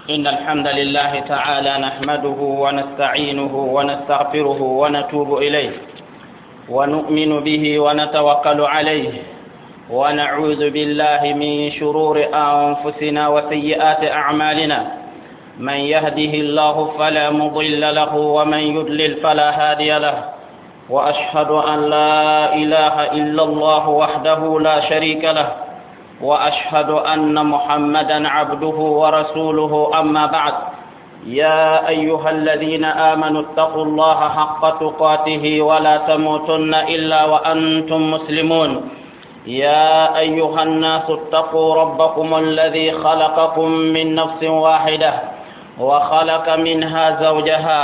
إن الحمد لله تعالى نحمده ونستعينه ونستغفره ونتوب إليه ونؤمن به ونتوكل عليه ونعوذ بالله من شرور أنفسنا وسيئات أعمالنا. من يهده الله فلا مضل له ومن يضلل فلا هادي له، وأشهد أن لا إله إلا الله وحده لا شريك له، وأشهد أن محمدا عبده ورسوله. أما بعد، يا أيها الذين آمنوا اتقوا الله حق تقاته ولا تموتن إلا وأنتم مسلمون. يا أيها الناس اتقوا ربكم الذي خلقكم من نفس واحدة وخلق منها زوجها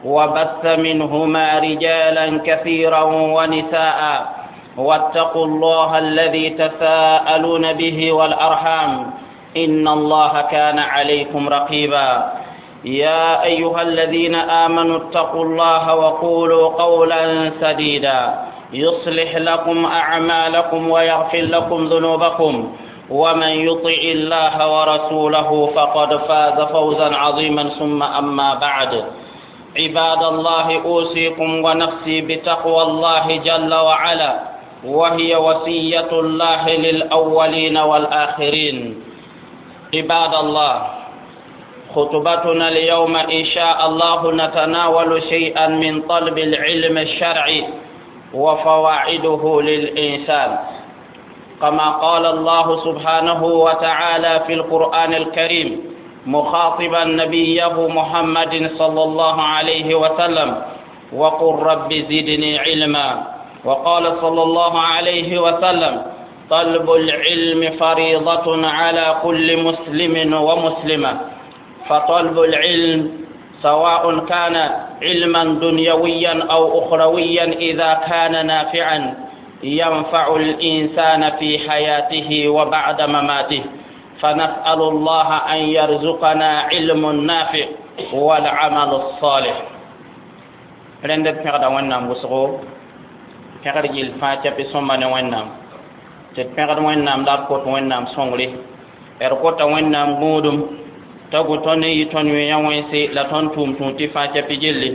وبث منهما رجالا كثيرا ونساء، واتقوا الله الذي تساءلون به والأرحام إن الله كان عليكم رقيبا. يا أيها الذين آمنوا اتقوا الله وقولوا قولا سديدا يصلح لكم أعمالكم ويغفر لكم ذنوبكم، ومن يطع الله ورسوله فقد فاز فوزا عظيما. ثم أما بعد، عباد الله، أوصيكم ونفسي بتقوى الله جل وعلا، وهي وصية الله للأولين والآخرين. عباد الله، خطبتنا اليوم إن شاء الله نتناول شيئا من طلب العلم الشرعي وفوائده للإنسان، كما قال الله سبحانه وتعالى في القرآن الكريم مخاطبا نبيه محمد صلى الله عليه وسلم: وقل رب زدني علما. وقال صلى الله عليه وسلم: طلب العلم فريضة على كل مسلم ومسلمة. فطلب العلم سواء كان علما دنيويا أو أخرويا إذا كان نافعا ينفع الإنسان في حياته وبعد مماته. فنسأل الله أن يرزقنا علم نافع والعمل الصالح. رند pẽgda Wẽnnaam wʋsgo, pẽgd gill fãa tɩ sõmba ne Wẽnnaam, tɩ d pẽgd Wẽnnaam la d kot Wẽnnaam sõngre, d kota Wẽnnaam gũudum t'a gu tõnd n yɩ tõnd yõe wẽnse la tõnd tʋʋm tũud tɩ fãa tɩ gilli,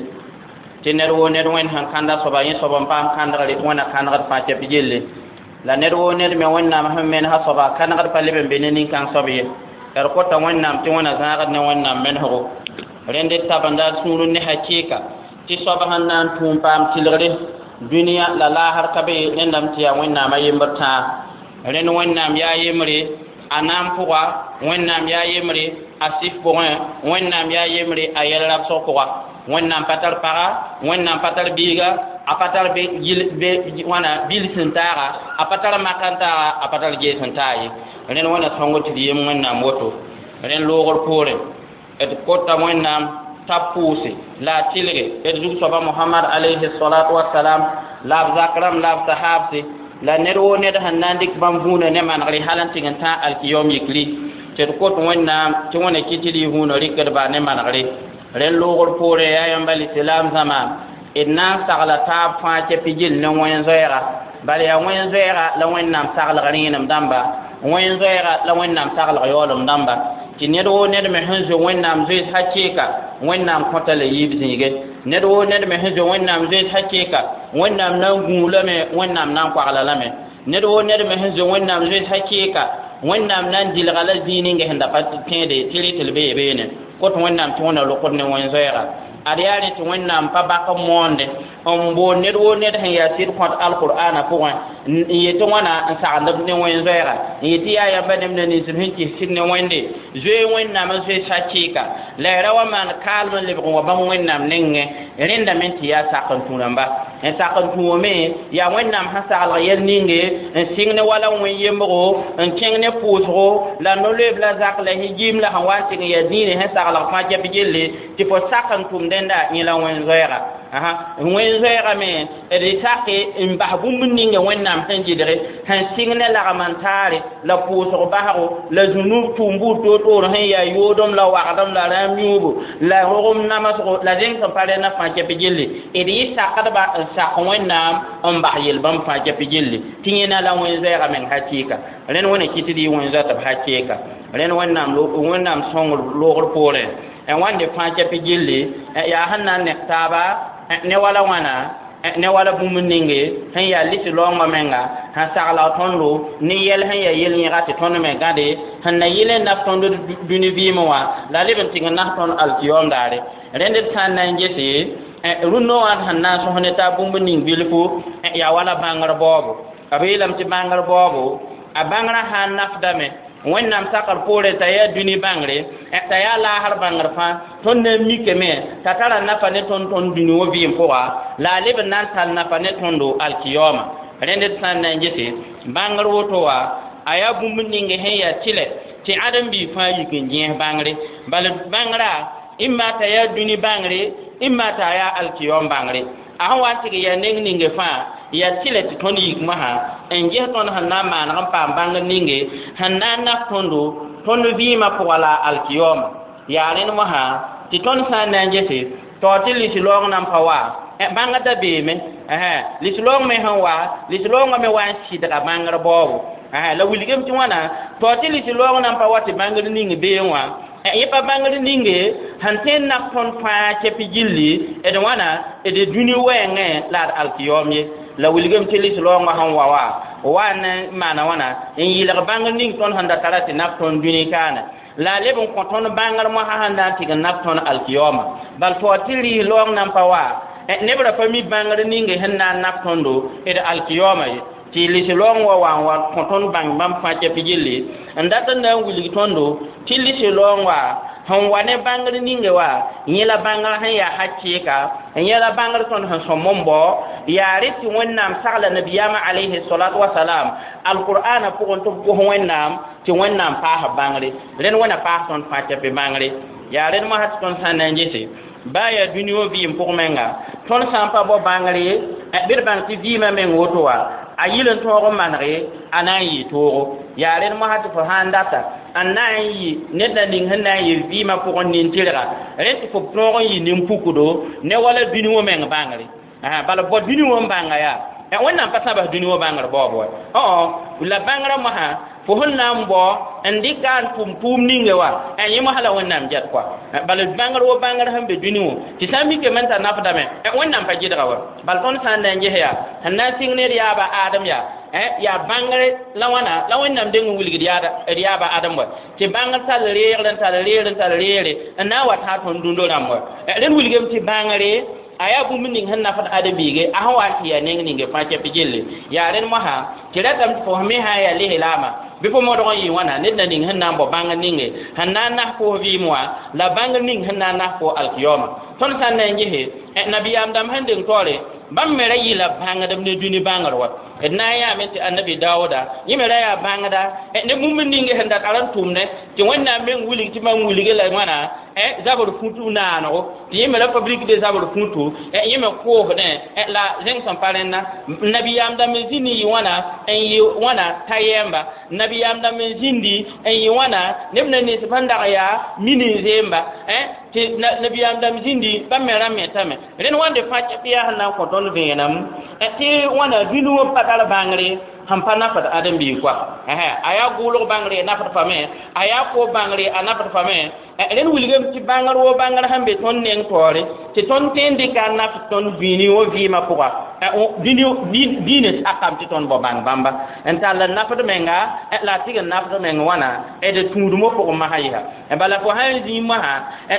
tɩ ned woo ned Wẽnd sẽn kãnda soaba yẽ soab n paam kãndgre Wẽnna kãndgd fãa tɩ gilli, la ned woo ned me Wẽnnaam sẽn menesã soaba kãndgd pa leb n be ne nin-kãng soab ye. D kota Wẽnnaam tɩ Wẽnna zãagd ne Wẽnnaam menesgo. Rẽnd d tabenda d sũur ne hakɩɩka tɩ soab sẽn na n tũum paam tɩlgre dũniyã la laasr ka be rẽndame tɩ yaa Wẽnnaamã yembr tãa. Rẽnd Wẽnnaam yaa yembre a naam pʋga, Wẽnnaam yaa yembre a sɩf pʋgẽ, Wẽnnaam yaa yembre a yɛl rabsg pʋga. Wẽnnaam pa tar paga, Wẽnnaam pa tar biiga, a pa tar wãna bil sẽn taaga, a pa tar mak n taaga, a pa tar gees n taa ye. Rẽnd Wẽnna sõngr tɩ d yem Wẽnnaam woto. Rẽnd loogr poorẽ d kota Wẽnnaam t'a pʋʋse la a tɩlge d zug-soaba Mohamad alayhi salatu wasalam la b zak rãmb la b sahaabse la ned woo ned sẽn na n dɩk bãmb vũunã ne manegre hal n tɩg n tã alkiyom yikri, tɩ d kot Wẽnnaam tɩ Wẽnna kɩ tɩ d yɩ vũunã rɩkdba ne manegre. Rẽnd loogr poorẽ yaa yãmb al-islam zãma, d na n sagla taab fãa tɩ gill ne wẽn-zoɛɛga, bala yaa wẽn-zoɛɛga la Wẽnnaam saglg rẽenem dãmba, wẽn-zoɛɛga la Wẽnnaam saglg yaoolem dãmba, tɩ ned woo ned me sẽn zoe Wẽnnaam zoees hakɩɩka Wẽnnaam kõta la yiib zĩige. Ned woo ned me sẽn zoe Wẽnnaam zoees hakɩɩka Wẽnnaam na n gũu lame, Wẽnnaam na n koagla lame. Ned woo ned me sẽn zoe Wẽnnaam zoees hakɩɩka Wẽnnaam na n dilga la zĩig ninga sẽn da pa tẽede tɩ rɩ tɩ l bee beene. Kot Wẽnnaam tɩ Wẽnna rokd ne wẽn-zoɛɛga. Ad yaa rẽ tɩ Wẽnnaam pa bak n moonde n boond ned woo ned sẽn yaa sɩd kõt alqur'aana pʋgẽ n yetɩ wãna n sagend ne wẽn-zoɛɛga, n yetɩ yaa yãmba nemda nins b sẽn kɩs sɩd ne Wẽnde zoe Wẽnnaam n zoe sakɩɩka la y ra wa maan kaalem n lebg n wa bãmb Wẽnnaam nengẽ. Rẽndame tɩ yaa sak n tũ rãmba n sak n tũume yaa Wẽnnaam sẽn saglg yɛl ninge n sɩng ne wala wẽn-yembgo n kẽng ne pʋʋsgo la no-loeeb la zak la higim la sẽn wa n tɩg n yaa dĩinã sẽn saglg fãa kɛp gilli tɩ fo sak n tʋm dẽnda yẽ la wẽn-zoɛɛga. Wẽn zoeegame d sake n bas bũmb ninga Wẽnnaam sẽn gɩdge sẽn sɩng ne lagm n taare la pʋʋsg basgo la zũnub tʋʋm buud toor-toor sẽn yaa yoodem la wagdem la rãam yũubu la rogem namsgo la zẽng sẽn pa rẽnna fãa kɛp gilli d yɩ sakdba n sak Wẽnnaam n bas yel-bãmb fãa kɛp gilli tɩ yẽna la wẽn zoeega meng hakɩɩka rẽnd wẽna kɩt d yɩ wẽn zoa tɩ b hakɩɩka rẽnd Wẽnnaam sõngr loogr poorẽ n wãnde fãa kɛp gilli yaa sẽn na n nek taaba ne wala wãna ne wala bũmb ninge sẽn yaa lisi laoongã menga sẽn sagla tõndo ne yɛl sẽn yaa yel-yẽga tɩ tõnd me gãde sẽn na yɩl n naf tõnd dũni vɩɩmẽ wã la leb n tɩg n nas tõnd alkiyom daare rẽnd d sã n na n gese rũnnã wã sẽn na n sõs ne taa bũmb ning bilfu yaa wala bãngr baoobo b yeelame tɩ bãngr baoobo a bãngrã sã n nafdame Wẽnnaam sakr poorẽ t'a yaa dũni bãngre t'a yaa laasr bãngr fãa tõnd na n mikame t'a tara nafa ne tõnd tõnd dũni wã vɩɩm pʋga la a leb n na n tall nafa ne tõndo alkiyoma rẽnd d sã n na n gese bãngr woto wã a yaa bũmb ning sẽn yaa tɩlɛ tɩ ãdem-biig fãa yik n gẽes bãngre bala bãngrã imma t'a yaa dũni bãngre imma t'a yaa alkiyom bãngre a sẽn wa n tɩg yaa neng ninge fãa yaa tɩlɛ tɩ tõnd yik mosã n ges tõnd sẽn na n maaneg n paam bãngr ninge sẽn na n naf tõndo tõnd vɩɩmã pʋga la alkiyoma yaa rẽnd mosã tɩ tõnd sã n na n gese tao tɩ lis-laoong nan pa wa bãngr da beeme lis-laoong me sẽn wa lis-laoongã me wa n sɩdga bãngr baoobo la wilgame tɩ wãna tao tɩ lis-laoong nan pa wa tɩ bãngr ning beẽ wã yẽ pa bãngr ninge sẽn tõe n naf tõnd fãa kɛp gilli d wãna d dũni wɛɛngẽ la d alkiyom ye la wilgame tɩ lis-laoongã sẽn wa wa n maana wãna n yɩlg bãngr ning tõnd sẽn da tara tɩ naf tõnd dũni kaana la a leb n kõ tõnd bãngr mosã sẽn na n tɩg n naf tõnd alkiyoma bal tao tɩ rɩɩs-laoong nan pa wa neb ra pa mi bãngr ninge sẽn na n naf tõndo d alkiyoma ye tɩ lis-laoong wa wa n wa kõ tõnd bãng bãmb fãa kɛp gilli n dat n na n wilg tõndo tɩ lis-laoong wa sẽn wa ne bãngr ninge wa yẽ la bãngr sẽn yaa hakɩɩka n yẽ la bãngr tõnd sẽn sõm n bao yaa rɩ tɩ Wẽnnaam sagla nabiyaamã alayhi salatu wasalam alqur'ana pʋgẽ tɩ b gos Wẽnnaam tɩ Wẽnnaam paas bãngre rẽnd wẽna paas tõnd fãa kɛp bãngre yaa rẽnd mosã tɩ tõnd sã n na n gese baa yaa dũni wã vɩɩm pʋg menga tõnd sã n pa bao bãngre bɩ d bãng tɩ vɩɩmã meng woto wa a yɩl n tõog n manege a na n yɩ toogo yaa rẽnd mosã tɩ fo sã n data n na n yɩ ned na ning sẽn na n yɩ vɩɩmã pʋgẽ nin-tɩrga rẽnd tɩ fo tõog n yɩ nin-pukdo ne wala dũni wã meng bãngre bala bao dũni wã n bãnga yaa Wẽnnaam pa sãbs dũni wã bãngr baoob wa la bãngrã mosã fo sẽn na n bao n dɩka n tʋm tʋʋm ninge wa yẽ mosã la Wẽnnaam get kɔa bala bãngr wo bãngr sẽn be dũni wã tɩ sã n mikame n t'a nafdame Wẽnnaam pa gɩdga wa bal tõnd sã n na n ges yaa sẽn na n sɩng ned yaaba Adem yaa yaa bãngre la wãna la Wẽnnaam deng n wilgd d yaaba Adem wa tɩ bãngr tall reegr n tall reegr n tall reegre n na n wa tã tõnd dũndo rãmb wa rẽnd wilgame tɩ bãngre a yaa bũmb ning sẽn nafd ãdem-biige a sẽn wa n tɩ yaa neng ninge fãa kɛp gilli yaa rẽnd mosã tɩ ratame tɩ fo me sã n yaa lislaamã bɩ fo modg n yɩ wãna ned na ning sẽn na n bao bãngr ninge sẽn na n nas fo vɩɩm wã la bãngr ning sẽn na n nas fo alkiyoma tõnd sã n na n gese nabiyaam dãmb sẽn deng taoore bãmb me ra yɩla bãngdb ne dũni bãngr wa d na n yaame tɩ annabi Daooda yẽ me ra yaa bãngda ne bũmb ninge sẽn da tar n tʋmdẽ tɩ Wẽnnaam meng wilg tɩ mam wilge la wãna zabr fũtu naanego tɩ yẽ me ra fabrique de zabr fũtu yẽ me koosdẽ la zẽng sẽn pa rẽnna nabiyaam dãmb n zĩnd n yɩ wãna n yɩ wãna ta yɛɛmba nabiyaam dãmb n zĩndi n yɩ wãna neb na nens sẽn dag yaa mini n zeemba tɩ nabiyaam dãmb zĩndi bãmb me ra metame rẽnd wãnde fãa kɛp yaa sẽn na n kõ tõnd vẽenem tɩ wãna dũni wã pa tar bãngre sẽn pa nafd ãdem-biig koa a yaa gʋʋlg bãngre a nafd fame a yaa koob bãngre a nafd fame rẽnd wilgame tɩ bãngr wo bãngr sẽn be tõnd neng taoore tɩ tõnd tõe n dɩka n naf tõnd dũni wã vɩɩmã pʋga diinã sakame tɩ tõnd bao bãng bãmba n tall n nafd menga la a tɩg n nafd meng wãna d tũudmã pʋgẽ masã yɩsa bala fo sã n zĩig mosã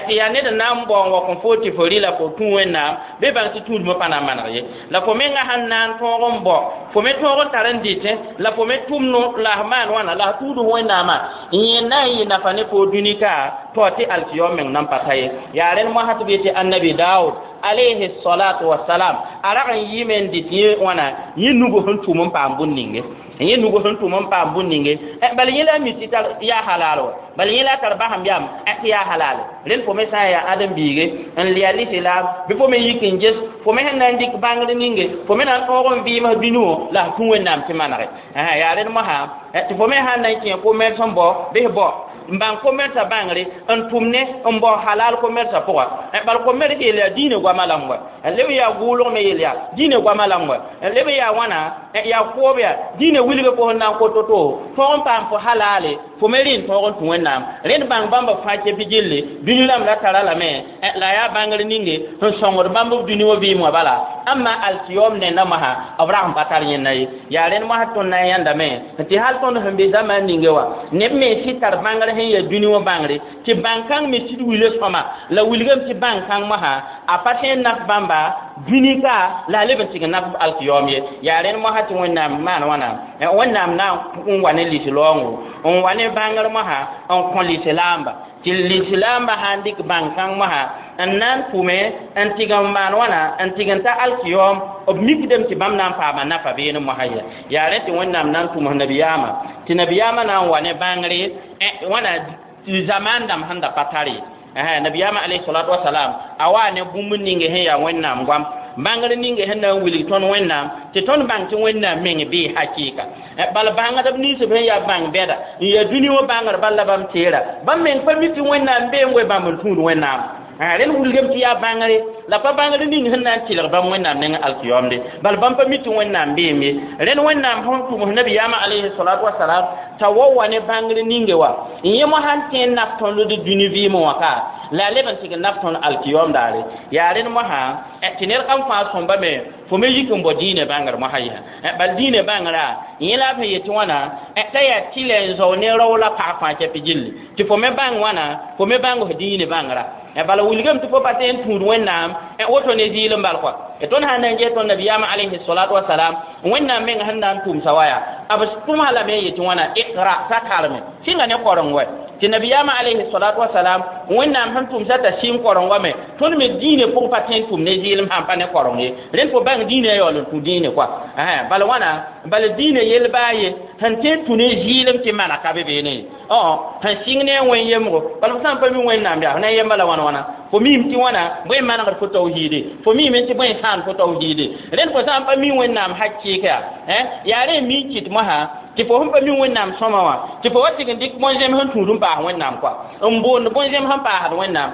tɩ yaa ned n na n bao n wa kõ fo tɩ fo rɩla fo tũ Wẽnnaam bɩ bãng tɩ tũudmã pa na n maneg ye la fo menga sẽn na n tõog n bao fo me tõog n tar n dɩtẽ la fo me tʋm la f maan wãna la f tũud Wẽnnaamã yẽ na n yɩ nafa ne fo dũni ka tao tɩ alkiyom meng nan pa ta ye yaa rẽnd mosã tɩ b yetɩ annabi Daood alayhi salatu wasalam a rag n yɩɩme n dɩt yẽ wãna yẽ nugu sẽn tʋm n paam bũn ninge Yẽ nug sẽn tʋm n paam bũn ninge bala yẽ la a mi tɩ tar yaa halal wa bala yẽ la a tar basem yam tɩ yaa halal rẽnd fo me sã n yaa ãdem-biige n lɩa lislaam bɩ fo me yik n ges fo me sẽn na n dɩk bãngr ninge fo me na n tõog n vɩɩms dũni wã la f tũ Wẽnnaam tɩ manege yaa rẽnd mosã tɩ fo me sãn na n kẽ commerce n bao bɩ f bao n bãng commerce bãngre n tʋm ne n bao halal commerce pʋga bal commerce yel yaa diinã goamã la n wa leb n yaa gʋʋlg me yel yaa diinã goamã la n wa leb n yaa wãna yaa koob yaa diinã wilg fo sẽn na n kot to tõog n paam fo halale fo me rẽ n tõog n tũ Wẽnnaam rẽnd bãng bãmba fãa kepi gilli dũni rãmb la tara lame la yaa bãngr ninge sẽn sõngd bãmb b dũni wã vɩɩm wã bala amma alkiyom nenda mosã b rag n pa tar yẽnda ye yaa rẽnd mosã tõnd na n yãndame tɩ hal tõnd sẽn be zamaan ninge wã neb me sɩd tar bãngr sẽn yaa dũni wã bãngre tɩ bãn-kãng me sɩd wila sõma la wilgame tɩ bãn-kãng mosã a pa tõe n naf bãmba dũni ka la a leb n tɩg n naf alkiyom ye yaa rẽnd mosã tɩ Wẽnnaam maan wãna Wẽnnaam na n wa ne lislaoongo n wa ne bãngr mosã n kõ lislaamba tɩ lislaamba sã n dɩk bãn-kãng mosã n na n tʋme n tɩg n maan wãna n tɩg n ta alkiyom b mikdame tɩ bãmb na n paama nafa beene mosã ya yaa rẽ tɩ Wẽnnaam na n tʋms nabiyaamã tɩ nabiyaamã na n wa ne bãngre wãna zamaan dãmb sẽn da pa tar ye nabiyaamã alayhi salatu wasalam a waa ne bũmb ninge sẽn yaa Wẽnnaam goam bãngr ninge sẽn na n wilg tõnd Wẽnnaam tɩ tõnd bãng tɩ Wẽnnaam meng bee hakɩɩka bal bãngdb nins b sẽn yaa bãng bɛda n yaa dũni wã bãngr bal la bãmb teera bãmb meng pa mi tɩ Wẽnnaam bee n we bãmb n tũud Wẽnnaam rẽnd wilgame tɩ yaa bãngre la pa bãngr ning sẽn na n tɩlg bãmb Wẽnnaam neng alkiyomde bal bãmb pa mi tɩ Wẽnnaam beem ye rẽnd Wẽnnaam sẽn tʋms nabiyaamã alayhi salatu wasalam t'a wa wa ne bãngr ninge wa n yẽ mosã n tõe n naf tõnd d dũni vɩɩmẽ wã ka la a leb n tɩg n naf tõnd alkiyom daare yaa rẽnd mosã tɩ ned kam fãa sõmba me fo me yik n bao dĩinã bãngr mosã yã bal dĩinã bãngrã yẽ la b sẽn yetɩ wãna t'a yaa tɩlɛ n zao ne rao la pag fãa kɛpɩ gilli tɩ fo me bãng wãna fo me bãng f dĩinã bãngrã bala wilgame tɩ fo pa tõe n tũud Wẽnnaam woto ne zɩɩl n bal kɔa tõnd sãn na n ges tõnd nabiyaamã alayhi salatu wasalam Wẽnnaam meng sẽn na n tʋmsa wa yaa b tʋmsa lame n yetɩ wãna iqra t'a karme sɩnga ne koreng wɛ tɩ nabiyaamã alayhi salatu wasalam Wẽnnaam sẽn tʋmsa t'a sɩng koreng wa me tõnd me dĩinã pʋgẽ pa tõe n tʋm ne zɩɩlem sãn pa ne koreng ye rẽnd fo bãng dĩinã yaool n tũ dĩinã kɔa bala wãna bala dĩinã yell baa ye sẽn tõe n tũ ne zɩɩlem tɩ mana ka be beene sẽn sɩng ne a wẽn yemgo bala fo sã n pa mi Wẽnnaam yaa f na n yemba la wãn wãna fo miime tɩ wãna bõe n manegd fo tawhiide fo miime tɩ bõe n sãand fo tawhiide rẽnd fo sã n pa mi Wẽnnaam hakɩɩka yaa yaa rẽ n mi n kɩt mosã tɩ fo sẽn pa mi Wẽnnaam sõma wã tɩ fo wa tɩg n dɩk bõn-zẽms sẽn tũud n paas Wẽnnaam kɔa n boond bõn-zẽms sẽn paasd Wẽnnaam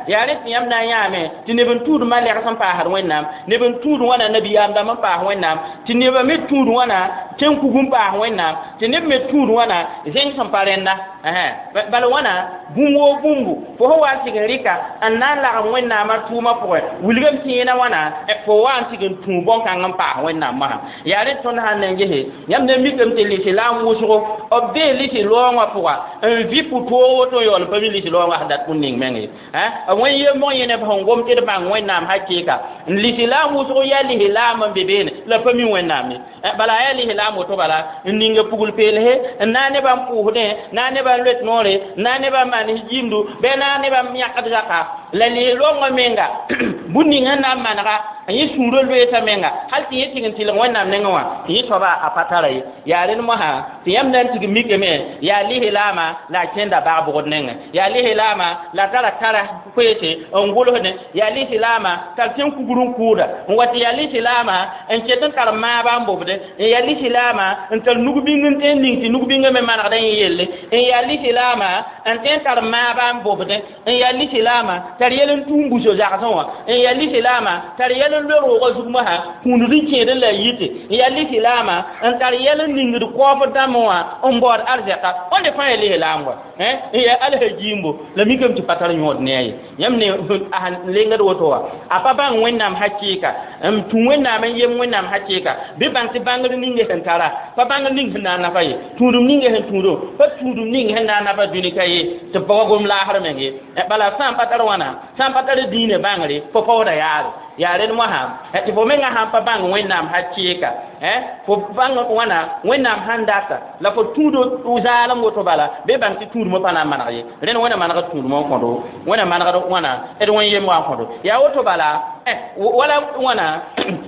yaa rẽ tɩ yãmb na n yãame tɩ neb n tũud malɛgs n paasd Wẽnnaam neb n tũud wãna nabiyaam dãmb n paas Wẽnnaam tɩ nebã me tũud wãna tẽn-kug n paas Wẽnnaam tɩ neb me tũud wãna zẽng sẽn pa rẽnda bala wãna bũmb woo bũmbu fo sẽn wa n tɩg n rɩka n na n lagem Wẽnnaamã tʋʋmã pʋgẽ wilgame tɩ yẽna wãna fo wa n tɩg n tũ bõn-kãng n paas Wẽnnaam mosã yaa rẽ tõnd sãn na n gese yãmb na mikame tɩ lislaam wʋsgo b bee lislaoongã pʋga n vɩ pʋ-toog woto n yaool n pa mi lislaoongã sẽn dat bũn ning meng ye wẽn yembg yẽ neb sẽn gom tɩ d bãng Wẽnnaam hakɩɩka n lislaam wʋsg yaa lislaam n be beene la pa mi Wẽnnaam ye bala yaa lislaam woto bala n ninga pugl peelse n na nebã n pʋʋsdẽ na nebã n loet noore na nebã n maan jimdu bɩ na nebã n yãkd zaka la lislaoongã menga bũn ning sẽn na n manega n yẽ sũurã loeesa menga hal tɩ yẽ tɩg n tɩlg Wẽnnaam nengẽ wã tɩ yẽ soaba a pa tara ye yaa rẽnd mosã tɩ yãmb na n tig mikame yaa lislaamã la a kẽnda bag bʋgd nengẽ yaa lislaamã la tara tara koeese n gʋlsdẽ yaa lislaamã tar tẽn-kugr n kʋʋda n wa tɩ yaa lislaamã n ket n tar maaba n bobde n yaa lislaamã n tar nug-bĩng n tõe n ning tɩ nug-bĩngã me manegdã yẽ yelle n yaa lislaamã n tõe n tar maaba n bobdẽ n yaa lislaamã tar yɛl n tũum buso zagsẽ wã n yaa lislaamã tar yɛl n loe roogã zug mosã kũund n kẽed n la a yite n yaa lislaamã n tar yɛl n ningd kaoofd dãmbẽ wã n baood arzɛka wãnde fãa yaa lislaam wa n yaa alsa jiimbo la mikame tɩ pa tar yõod ne a ye yãmb ne sẽn lengd woto wã a pa bãng Wẽnnaam hakɩɩka n tũ Wẽnnaam n yem Wẽnnaam hakɩɩka bɩ bãng tɩ bãngr ning sẽn tara pa bãngr ning sẽn na n nafa ye tũudum ning sẽn tũudo pa tũudum ning sẽn na n nafa dũni ka ye tɩ pa gom laasr meng ye bala sã n pa tar wãna sã n pa tar dĩinã bãngre fo paooda yaare yaa rẽnd mosã tɩ fo mengã sãn pa bãng Wẽnnaam hakɩɩka fo bãng wãna Wẽnnaam sãn data la fo tũudo zaalem woto bala bɩ bãng tɩ tũudmã pa na n maneg ye rẽnd Wẽnna manegd tũudmã n kõdo Wẽnna manegd wãna d wẽn yemgã n kõdo yaa woto bala wala wãna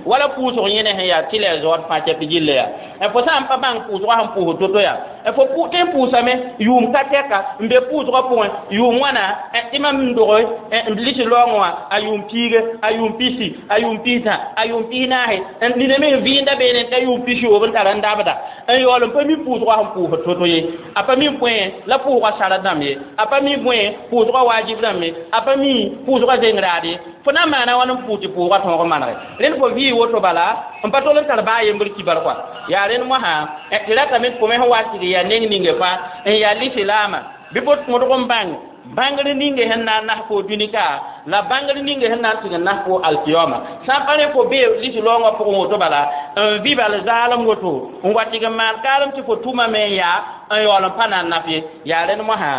wala pʋʋsg yẽne sẽn yaa tɩ la a zaood fãa kɛp gilla yaa Fo sã n pa bãng pʋʋsgã sẽn pʋʋsd to-to yaa fo tɩ n pʋʋsame yʋʋm ka tɛka n be pʋʋsgã pʋgẽ yʋʋm wãna tɩ mam n doge n lisi laoongẽ wã a yʋʋm piige a yʋʋm pisi a yʋʋm pistã a yʋʋm pisnaase nina me n vɩɩnda beene t'a yʋʋm pisiyoob n tar n dabda n yaool n pa mi pʋʋsgã sẽn pʋʋsd to-to ye a pa mi bõe la pʋʋsgã sara dãmb ye a pa mi bõe pʋʋsgã waajib dãmb ye a pa mi pʋʋsgã zeng raad ye fo na n maana wãn n pʋʋs tɩ pʋʋsgã tõog manege rẽnd fo vɩɩ woto bala n pa tol n tar baa yembr kibar kɔa yaa rẽnd mosã tɩ ratame tɩ fo me sẽn wa tɩg yaa neng ninge fãa n yaa lislaama bɩ fo mõdg n bãng bãngr ninge sẽn na n nas fo dũni-ka la bãngr ninge sẽn na n tɩg n nas fo alkiyoma sã n pa rẽ fo bee lislaoongã pʋgẽ woto bala n vɩ bal zaalem woto n wa tɩg n maan kaalem tɩ fo tʋmame n yaa n yaool n pa na n naf ye yaa rẽnd mosã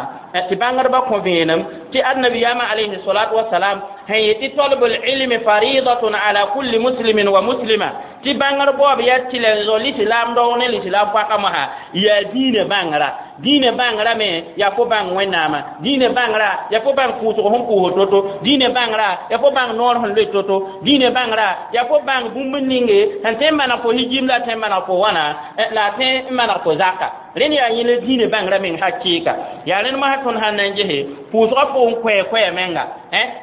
tɩ bãngdbã kõ vẽenem tɩ annabiyama alayhi salatu wasalam sẽn yetɩ talbul ilmi faridatun ala kulli muslimin wa muslima tɩ bãngr baoob yaa tɩlɛ n zo lislaam daoog ne lislaam poaka mosã yaa dĩinã bãngra dĩinã bãngra me yaa fo bãng wẽnnaamã dĩinã bãngra yaa fo bãng pʋʋsg sẽn pʋʋsd to-to dĩinã bãngra yaa fo bãng noor sẽn loe to-to dĩinã bãngra yaa fo bãng bũmb ninge sẽn tõe n maneg fo hijim la a tõe n maneg fo wãna la a tõe n maneg fo zaka rẽnd yaa yẽl dĩinã bãngra meng hakɩɩka yaa rẽnd mosã tõnd sãn na n gese pʋʋsgã pʋgẽ koɛɛ-koɛɛ menga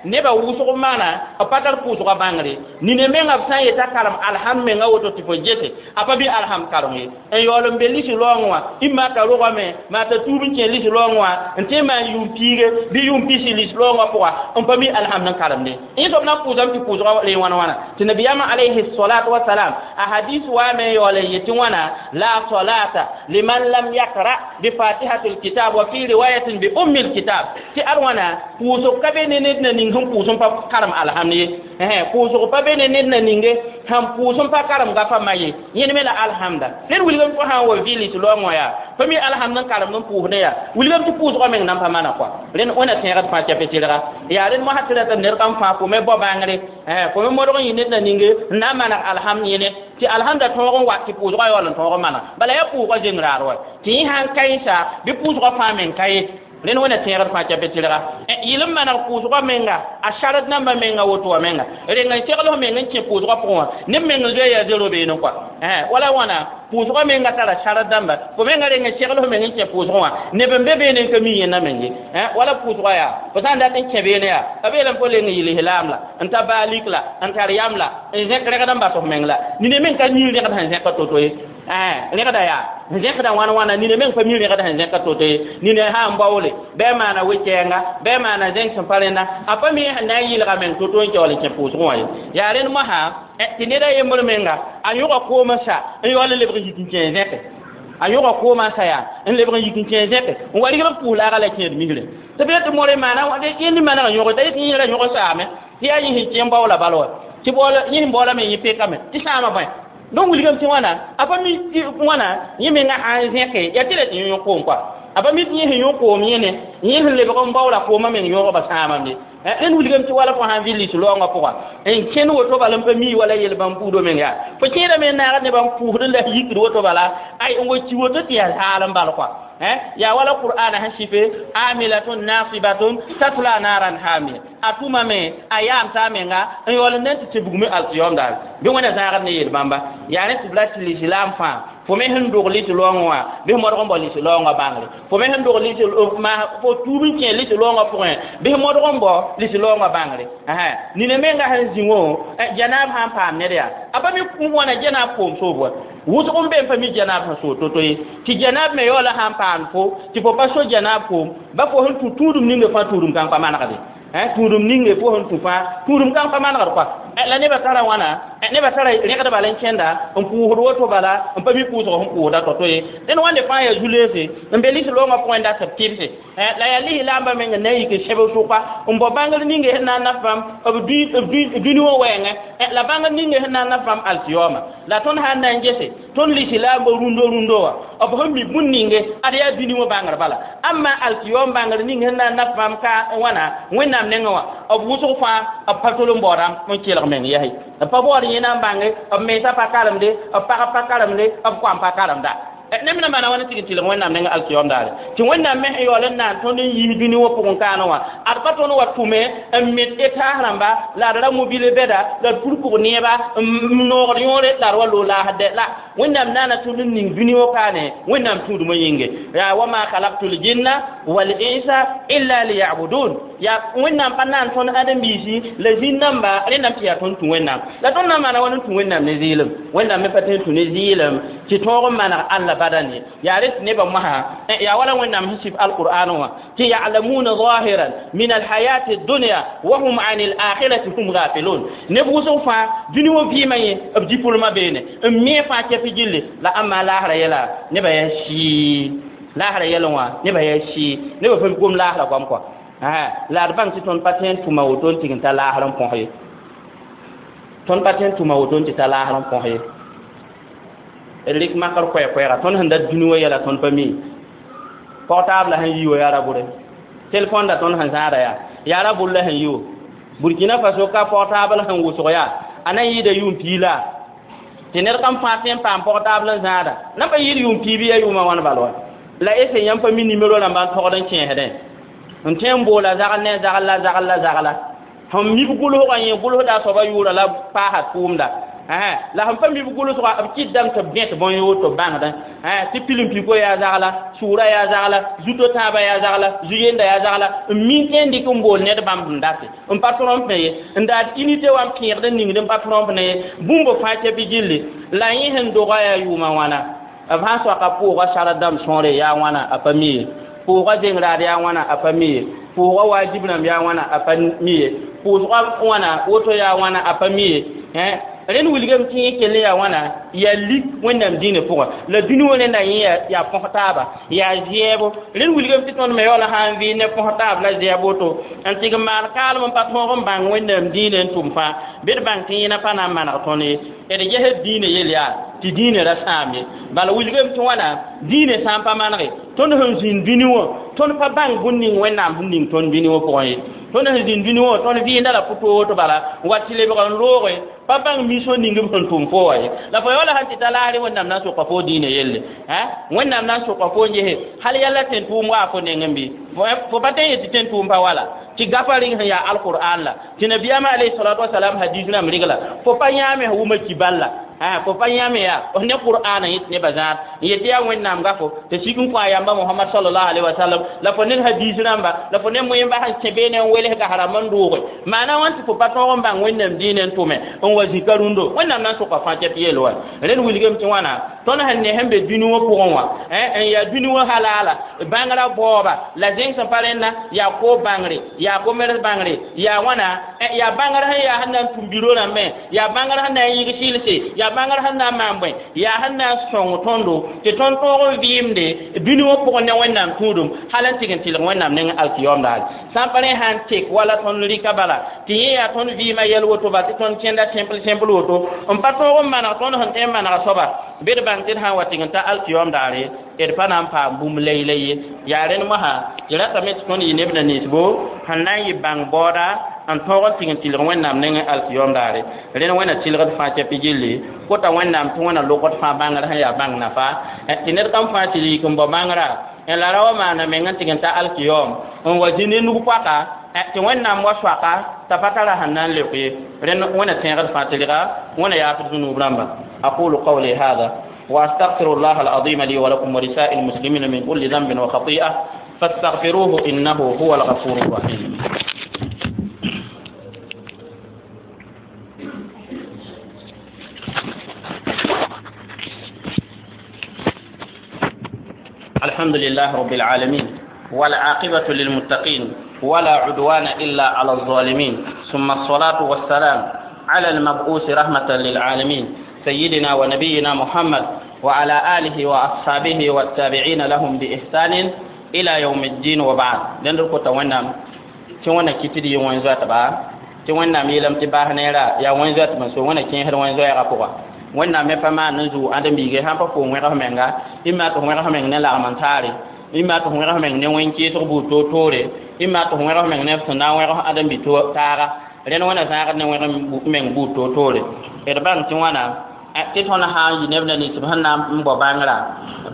nebã wʋsg maana b pa tar pʋʋsgã bãngre nina menga b sã n yeta karem alhamd menga woto tɩ fo gese a pa bɩ alhamd karem ye n yaool n be lisi laoongẽ wã ĩmma t'a rogame maa t'a tuub n kẽ lisi laoongẽ wã n tõe n maan yʋʋm piige bɩ yʋʋm pisi lisi laoongã pʋga n pa mi alhamd n karemde yẽ soab na n pʋʋsame tɩ pʋʋsgã ree wãna wãna tɩ nabiyaamã alayhi salatu wasalam a hadis waame n yaool n yetɩ wãna la salata liman lam yakra bi fatihati lkitab wa fi riwayatin bi ummi lkitab tɩ ad wãna pʋʋsg ka be ne ned na ning sẽn pʋʋs n pa karem alhamd ye pʋʋsg pa be ne ned na ninge sẽn pʋʋs n pa karem gafa ma ye yẽnd me la alhamda ned wilgame fo sã n wa vɩ lislaoongẽ wã yaa pa mi alhamd n karemd n pʋʋsdẽ yaa wilgame tɩ pʋʋsgã meng nan pa mana kɔa rẽnd wẽna tẽegd fãa chape tɩrga yaa rẽnd mosã tɩ rata ned kam fãa fo me bao bãngre fo me modg n yɩ ned na ninge n na n maneg alhamd yẽne tɩ alhamda tõog n wa tɩ pʋʋsgã yaool n tõog n mana bala yaa pʋʋsgã zeng raad wa tɩ yẽ sã n kaensa bɩ pʋʋsgã fãa meng ka ye rẽnd wẽna tẽegd fãa chape tɩrga yɩl n maneg pʋʋsgã menga a sard nambã menga woto wã menga reng n segl f meng n kẽ pʋʋsgã pʋgẽ wã neb meng n zoe yaa zero beene kɔa wala wãna pʋʋsgã menga tara sard dãmba fo menga reng n segl f meng n kẽ pʋʋsgẽ wã neb n be beene n ka mi yẽnda meng ye wala pʋʋsgã yaa fo sã n dat n kẽ beene yaa a beelame fo leng n yɩl islaam la n ta baalik la n tar yam la n zẽk rẽgd n bas f meng la nina meng ka mi rẽgd sẽn zẽka to-to ye rẽgda yaa n zẽkda wãn wãna nina meng pa mi rẽgd sẽn zẽka to-to ye nina sã n baoole bɩ a maana we-kɛɛnga bɩ a maana zẽng sẽn pa rẽnda a pa mi sẽn na n yɩlga meng to-to n kaool n kẽ pʋʋsgẽ wã ye yaa rẽnd mosã tɩ ned a yembr menga a yõga koomã sa n yaool n lebg n yik n kẽ zẽke a yõga koomã sa yaa n lebg n yik n kẽ zẽke n wa rigd b pʋʋs laaga la kẽed misrẽ tɩ b yetɩ more maana yẽnd maneg n yõge t'a yetɩ yẽ ra yõg saame tɩ yaa yẽ sẽn kẽ n baoola bal wa tɩ yẽ sẽn baoolame yẽ pekame tɩ sãama bõe donc wilgame tɩ wãna a pa mi wãna yẽ menga sã n zẽke yaa tɩ ra tɩ yõ koom kɔa a pa mi tɩ yẽ sẽn yõ koom yẽne yẽ sẽn lebg n baoola koomã meng yõgba sãamame rẽnd wilgame tɩ wala fo sã n vɩ lis-laoongã pʋga n kẽnd woto bala n pa mi wala yel bãmb buudã meng yaa fo kẽedame n naagd nebã n pʋʋsd la yikd woto bala ay n wa ki woto tɩ yaa zaal n bal kɔa yaa wala qur'ana sẽn sɩfe amilatun nasibatun tatla naran hamiya a tʋmame a yaam t'a menga n yaool n na n tɩ tɩ bugme alkiyom daare bɩ wẽna zãagd ne yel bãmba yaa rẽ tɩ b ra tɩ lislaam fãa fo me sẽn dog lis-laoongẽ wã bɩ modg n bao lis-laoongã bãngre fo me sẽn dog fo tuub n kẽ lis-laoongã pʋgẽ bɩ modg n bao lis-laoongã bãngre nina menga sẽn zĩ wã janaab sã n paam ned yaa a pa mi wãna janaab koom soob wa wʋsg n be n pa mi janaab sẽn soog to-to ye tɩ janaab me yaoola sã n paam fo tɩ fo pa so janaab koom ba fo sẽn tũ tũudum ninge fãa tũudum kãng pa manegde tũudum ninge fo sẽn tũ fãa tũudum kãng pa manegd kɔa la nebã tara wãna nebã tara rẽgd bala n kẽnda n pʋʋsd woto bala n pa mi pʋʋsg sẽn pʋʋsda to-to ye dẽnd wãnde fãa yaa zu-leese n be lis-loongã pʋgẽ dat b tɩbse la yaa lislaambã meng n na n yik n sẽb sʋka n bao bãngr ninge sẽn na n naf bãmb b dũni wã wɛɛngẽ la bãngr ninge sẽn na n naf bãmb alkiyoma la tõnd sã n na n gese tõnd lislaambã rũndo rũndo wã b sẽn mi bũn ninge ad yaa dũni wã bãngr bala amma alkiyom bãngr ning sẽn na n naf bãmb ka wãna wẽnnaam nengẽ wã b wʋsg fãa b pa tol n baoodam n kelg meng yɛse b pa baood yẽna n bãnge b mensã pa karemde b pagb pa karemde b koam pa karemda neb na maana wãna tɩg n tɩlg wẽnnaam nengã alkiyom daare tɩ wẽnnaam me sẽn yaool n naan tõnd n yiis dũni wã pʋgẽ kaanẽ wã ad pa tõnd wa tʋme n met etaas rãmba la d ra mobile bɛda la d pur pʋg neeba n noogd yõore la d wa loog laasd la Wẽnnaam naana tõnd n ning dũni wã paane Wẽnnaam tũudmã yĩnge yaa wa ma khalaqtul jinna wal insa illa liya'budun yaa Wẽnnaam pa naan tõnd ãdem-biisi la zĩn-dãmba rẽndame tɩ yaa tõnd tũ Wẽnnaam la tõnd na n maana wãn n tũ Wẽnnaam ne zɩɩlem Wẽnnaam me pa tõe n tũ ne zɩɩlem tɩ tõog n maneg Alla badan ye yaa rẽ tɩ nebã mosã yaa wala Wẽnnaam sẽn sɩf alqur'an wã tɩ ya'lamuna zahiran min alhayati ad-dunya wa hum 'an al-akhirati hum ghafilun neb wʋsg fãa dũni wã vɩɩmã yẽ b dipolmã beene n me fãa kɛpɩ gilli la ãmba laasra yɛla nebã yaa sɩɩ laasra yɛl wã nebã yaa sɩɩ nebã pa gom laasra goam kɔa la d bãng tɩ tõnd pa tõe n tʋma woto n tɩg n ta laasr n põs ye tõnd pa tõe n tʋma woto n tɩ ta laasr n põs ye d rɩk makr koɛɛ-koɛɛga tõnd sẽn dat dũni wã yɛla tõnd pa mi portable sẽn yi wa yaa ra-bʋre telefon da tõnd sẽn zãada yaa ra-bʋr la sẽn yi wo Burkina Faso ka portable sẽn wʋsg yaa a na n yɩɩda yʋʋm piig la tɩ ned kam fãa tõe n paam portable n zãada na pa yɩɩd yʋʋm piig bɩ yaa yʋʋmã wãn bal wa la ese yãmb pa mi nimero rãmba n togd n kẽesdẽ n tõe n boola zagl ne zagl la zagl la zagla sẽn mib gʋlsgã yẽ gʋlsda a soaba yʋʋra la paasa tʋʋmda la sẽn pa mib gʋlsga b kɩtdame tɩ b gẽt bõn-yoor tɩ b bãngdẽ tɩ pilim-piko yaa zagla sʋʋra yaa zagla zuto tãabã yaa zagla zu-yenda yaa zagla n mi tõe n dɩk n bool ned bãmb n date n pa tromp ye n daad unité wã n pẽegd n ningd n pa tromp ne ye bũmb fãa kɛpɩ gilli la yẽ sẽn doga yaa yʋʋmã wãna b sã n soaka pʋʋga sard dãmb sõore yaa wãna a pa mi ye pʋʋga zengraad yaa wãna a pa mi ye pʋʋga wajib rãmb yaa wãna a pa mi ye pʋʋsga wãna woto yaa wãna a pa mi ye rẽnd wilgame tɩ yẽ kell yaa wãna yaa lik Wẽnnaam dĩinã pʋgã la dũni wã rẽnda yẽ yaa põs taaba yaa zɛɛbo rẽnd wilgame tɩ tõnd me yaoola sã n vɩɩ ne põs taab la zɛɛb woto n tɩg n maan kaalem n pa tõog n bãng Wẽnnaam dĩinã n tʋm fãa bɩ d bãng tɩ yẽna pa na n maneg tõnd ye d gesd dĩinã yel yaa tɩ dĩinã ra sãam ye bala wilgame tɩ wãna dĩinã sã n pa manege tõnd sẽn zĩnd dũni wã tõnd pa bãng bũn ning Wẽnnaam sẽn ning tõnd dũni wã pʋgẽ ye tõnd sẽn zĩnd dũni wã tõnd vɩɩnda la pʋ-toog bala n wa tɩ lebg n looge pa bãng mission ning b sẽn tʋm fo wã ye la fo yaoola sãn tɩ ta laasre Wẽnnaam na n soka fo dĩinã yelle Wẽnnaam na n soka fo n gese hal yalla tẽn-tʋʋm waa fo nengẽ bɩ fo pa tõe n yet tɩ tẽn-tʋʋm pa wala tɩ gapa rɩng sẽn yaa alqur'an la tɩ nabiyaamã alayhi salatu wasalam hadis rãmb regla fo pa yãame sẽn wʋma kibal la fo pa yãame yaa ne qur'ana yẽ tɩ nebã zãad n yet yaa Wẽnnaam gafo tɩ sik n kõ a yamba Mohamad sallallahu alaihi wasallam la fo ned hadis rãmba la fo ne moẽmba sẽn kẽ beene n welsga rãmb n dʋʋge maana wãn tɩ fo pa tõog n bãng Wẽnnaam dĩinã n tʋme n wa zĩka rũndo Wẽnnaam na n soka fãa kɛp yeel wa rẽnd wilgame tɩ wãna tõnd sẽn ne sẽn be dũni wã pʋgẽ wã n yaa dũni wã halaala bãngrã baooba la zẽng sẽn pa rẽnna yaa ko bãngre yaa commerce bãngre yaa wãna yaa bãngr sẽn yaa sẽn na n tũm biro rãmbẽ yaa bãngr sẽn na n yɩg sɩlse yaa bãngr sẽn na n maan bõe yaa sẽn na n sõng tõndo tɩ tõnd tõog n vɩɩmde dũni wã pʋgẽ ne Wẽnnaam tũudum hal n tɩg n tɩlg Wẽnnaam neng alkiyom daare sã n pa rẽ sã n tek wala tõnd rɩka bala tɩ yẽ yaa tõnd vɩɩmã yɛl woto bala tɩ tõnd kẽnda simple simple woto n pa tõog n maneg tõnd sẽn tõe n manega soaba bɩ d bãng tɩ d sã n wa tɩg n ta alkiyom daare d pa na n paam bũmb lay-lay ye yaa rẽnd mosã tɩ ratame tɩ tõnd yɩ neb na ninsbo sẽn na n yɩ bãng baooda n tõog n tɩg n tɩlg Wẽnnaam nengẽ alkiyom daare rẽnd Wẽnna tɩlgd fãa kɛpɩ gilli kota Wẽnnaam tɩ Wẽnna lokd fãa bãngr sẽn yaa bãng nafa tɩ ned kam fãa tɩ yik n bao bãngrã n la ra wa maana meng n tɩg n ta alkiyom n wa zĩ ne nug-poaka tɩ Wẽnnaam wa soaka t'a pa tara sẽn na n leok ye rẽnd Wẽnna tẽegd fãa tɩlga Wẽnna yaafd zũnub rãmba aqulu qawli hada وأستغفر الله العظيم لي ولكم ولسائر المسلمين من كل ذنب وخطيئة فاستغفروه إنه هو الغفور الرحيم. الحمد لله رب العالمين والعاقبة للمتقين ولا عدوان إلا على الظالمين ثم الصلاة والسلام على المبعوث رحمة للعالمين سيدنا ونبينا محمد وعلى آله وأصحابه والتابعين لهم بإحسان إلى يوم الدين وبعد. لندركو تونا تونا كتير يوم زات با تونا ميلم تباه نيرا يا وين زات من سو وين كين هر وين زات أقوى وين نام فما نزو عندهم بيجي هم بقوم وين رحمنغا إما تهم رحمنغ نلا أمانتاري إما تهم رحمنغ نوين كي تربو توتوري إما تهم رحمنغ نفسنا وين رح عندهم بيتو تارا لأن وين زار نوين meng bu totore d bãng tɩ wãna tɩ tõnd sã n yɩ neb na ninsb sẽn na n bao bãngrã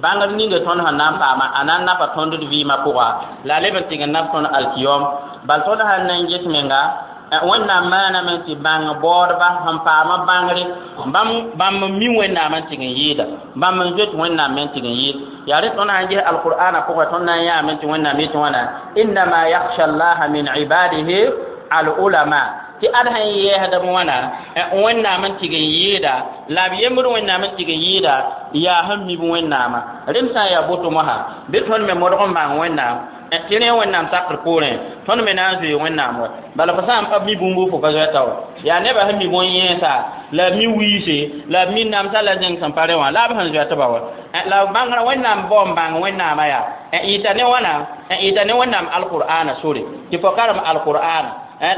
bãngr ninga tõnd sẽn na n paama a na n napa tõnd d vɩɩmã pʋga la a leb n tɩg n nap tõnd alkiyom bal tõnd sãn na n ges menga Wẽnnaam maaname tɩ bãng baoodba sẽn paama bãngre bãmb n mi Wẽnnaam n tɩg n yɩɩda bãmb n zoet Wẽnnaam me n tɩg n yɩɩd yaa rẽ tõnd sãn ges alqur'ana pʋgẽ tõnd na n yãame tɩ Wẽnnaam yetɩ wãna innama yakhsha llaha min ibadihi al-ulama tɩ ad sẽn yɛɛsdb wãna Wẽnnaam n tɩg n yɩɩda la b yembd Wẽnnaam n tɩg n yɩɩda yaa sẽn mib Wẽnnaamã rem sã n yaa boto mosã bɩ tõnd me modg n bãng Wẽnnaam tɩ rẽ Wẽnnaam sakr poorẽ tõnd me na n zoe Wẽnnaam wa bala fo sã n pa mi bũmb fo pa zoɛta wa yaa nebã sẽn mi bõn-yẽesa la b mi wiise la b mi namsa la zẽng sẽn pa rẽ wã la b sẽn zoɛtba wa la bãngrã Wẽnnaam bao n bãng Wẽnnaamã yaa yɩta ne wãna yɩta ne Wẽnnaam alqur'ana sore tɩ fo karem alqur'ana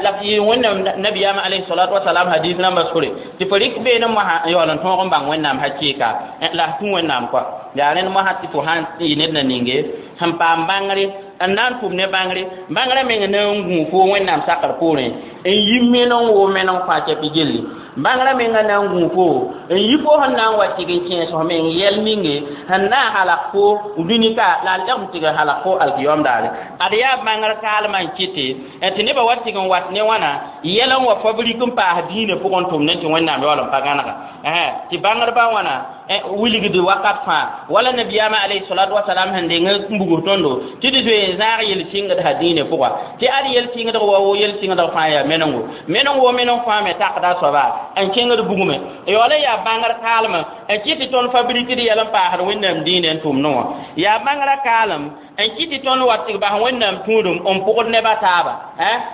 la yɩ Wẽnnaam nabiyaamã alayhi salatu wasalam hadis rãmbã sore tɩ fo rɩk beene mosã n yaool n tõog n bãng Wẽnnaam hakɩɩka la f tũ Wẽnnaam kɔa yaa rẽnd mosã tɩ fo sãn yɩ ned na ninge sẽn paam bãngre n na n tʋm ne bãngre bãngrã meng na n gũu fo Wẽnnaam sakr poorẽ n yi meneng woo meneng fãa kɛpɩ gilli bãngrã menga na n gũu fo n yi fo sẽn na n wa tɩg n kẽes f meng yɛl ninge sẽn na n halg fo dũni-ka la a lɛgm tɩg n halg fo alkiyom daare ad yaa bãngr kaalmã n kɩte tɩ nebã wa tɩg n wat ne wãna yɛl n wa fabrik n paas dĩinã pʋgẽ n tʋm ne tɩ Wẽnnaam yaool n pa gãnega tɩ bãngrbã wãna wilgd wakat fãa wala nabiyaamã alayhi salatu wasalam sẽn deng n bugs tõndo tɩ d zoe n zãag yel-sɩngd sã dĩinã pʋga tɩ ad yel-sɩngdg wa wo yel-sɩngdg fãa yaa menengo meneng wo meneng fãa me takda a soaba n kẽngd bugme yaool n yaa bãngr kaalem n kɩt tɩ tõnd fabrikd yɛl n paasd Wẽnnaam dĩinã n tʋmdẽ wã yaa bãngrã kaalem n kɩt tɩ tõnd wa tɩg bas Wẽnnaam tũudum n pʋgd nebã taaba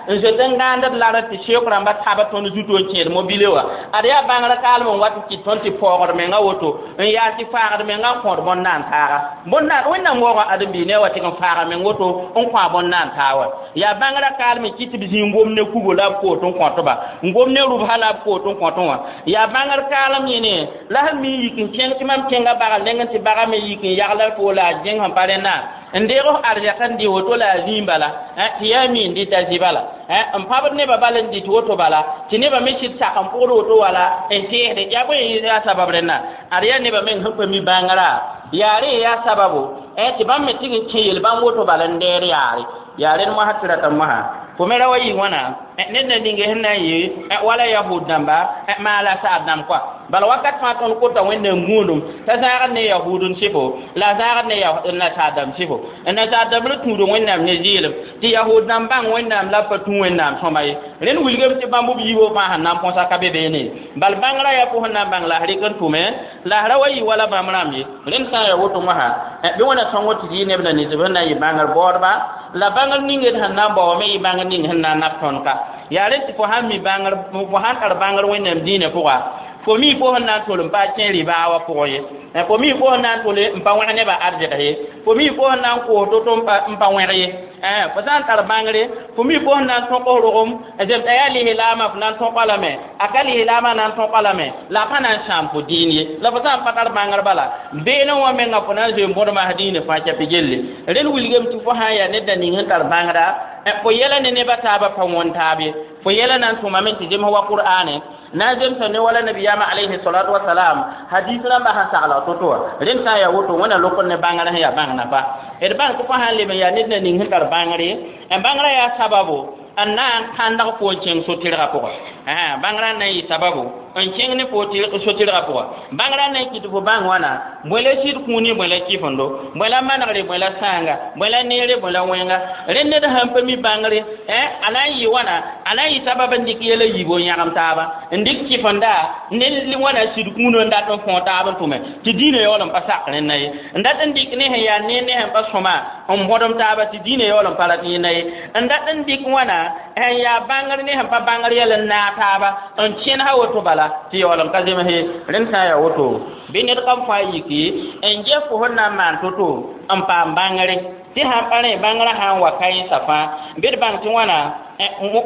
n zoet n gãandd lar tɩ seok rãmbã tab tõnd zuto n kẽed mobile wã ad yaa bãngrã kaalem n wat n kɩt tõnd tɩ paoogd menga woto n yaa tɩ faagd menga n kõod bõn-naan taaga bõn-naan Wẽnnaam waoogã ãdem-biig ne wa tɩg n faaga meng woto n kõ a bõn-naan taa wa yaa bãngrã kaalem n kɩt tɩ b zĩ n gom ne kugo la b koot n kõtba n gom ne rʋbsã la b koot n kõtẽ wã yaa bãngr kaalem yẽne la sẽn mi yik n kẽng tɩ mam kẽnga bagr nengẽ tɩ baga me yik n yagl fo la a zẽng sẽn pa rẽnna n deeg f arzɛk n dɩ woto la a zĩig bala tɩ yaa mi n dɩta zɩ bala n pãbd nebã bal n dɩt woto bala tɩ nebã me sɩd sak n pʋgd woto wala n teesde yaa bõe yaa sabab rẽnna ad yaa nebã meng sẽn pa mi bãngrã yaa rẽ yaa sababo tɩ bãmb me tɩg n kẽ yel-bãmb woto bala n deer yaare yaa rẽnd mosã tɩ rata mosã fo me ra wa yɩ wãna ned na ninge sẽn na n yɩ wala yahud dãmba maala saad dãmb kɔa bala wakat fãa tõnd kota Wẽnnaam gũudum t'a zãagd ne yahud n sɩfo la a zãagd ne nasaar dãmb sɩfo nasaar dãmb ra tũud Wẽnnaam ne zɩɩlem tɩ yahud dãmb bãng Wẽnnaam la b pa tũ Wẽnnaam sõma ye rẽnd wilgame tɩ bãmb b yiibã fãa sẽn na n põsa ka be beene bal bãngrã yaa fo sẽn na n bãng la f rɩk n tʋme la f ra wa yɩ wala bãmb rãmb ye rẽnd sã n yaa woto mosã bɩ Wẽnna sõngo tɩ yɩ neb na ninsb sẽn na n yɩ bãngr baoodba la bãngr ning d sẽn na n bao me yɩ bãngr ning sẽn na n nab tõnd ka yaa rẽ tɩ fo sãn mi bãngr fo sãn tar bãngr Wẽnnaam dĩinã pʋga fo mi fo sẽn na n tol n pa kẽ rɩbaa wã pʋgẽ ye fo mi fo sẽn na n tol n pa wẽg nebã arzɛg ye fo mi fo sẽn na n koos to-to n pa wẽg ye fo sã n tar bãngre fo mi fo sẽn na n tõk f rogem zemta yaa lislaamã fo na n tõka lame a ka lislaamã na n tõka lame la a pa na n sãam fo dĩin ye la fo sã n pa tar bãngr bala beene wã menga fo na n zoe n bõdma dĩinã fãa kɛpɩ gelle rẽnd wilgame tɩ fo sã n yaa ned na ning sẽn tar bãngrã fo yɛla ne nebã taabã pa wõn taab ye fo yɛla na n tʋmame tɩ zems wa qur'ane na n zemsa ne wala nabiyaamã alayhi salatu wasalam hadis rãmbã sẽn sagla to-to wã rẽnd sã n yaa woto Wẽnna lokd ne bãngrã sẽn yaa bãng nafa d bãng tɩ fo sã n leb n yaa ned na ning sẽn tar bãngre bãngrã yaa sababo n na n kãndg fo n kẽng so-tɩrgã pʋga bãngrã na n yɩ sababu n kẽng ne fo so-tɩrgã pʋga bãngrã na n kɩt fo bãng wãna bõe la sɩd kũuni bõe la kɩfendo bõe la manegre bõe la sãanga bõe la neere bõe la wẽnga rẽnd ned sãn pa mi bãngre a na n yɩ wãna a na n yɩ sabab n dɩk yɛla yiibo n yãgem taaba n dɩk kɩfenda ne wãna sɩd kũunã n dat n fõo taab n tʋme tɩ dĩinã yaool n pa sak rẽnna ye n dat n dɩk ne sẽn yaa neer ne sẽn pa sõma n bõdem taaba tɩ dĩinã yaool n pa rat yẽnda ye n dat n dɩk wãna sẽn yaa bãngr ne sẽn pa bãngr yɛl n naag taaba n kẽnes woto bala tɩ yaool n ka zems ye rẽnd sã n yaa woto bɩ ned kam fãa yiki n ges fo sẽn na n maan to-to n paam bãngre tɩ sãn pa rẽ bãngrã sã n wa ka-yẽnsã fãa bɩ d bãng tɩ wãna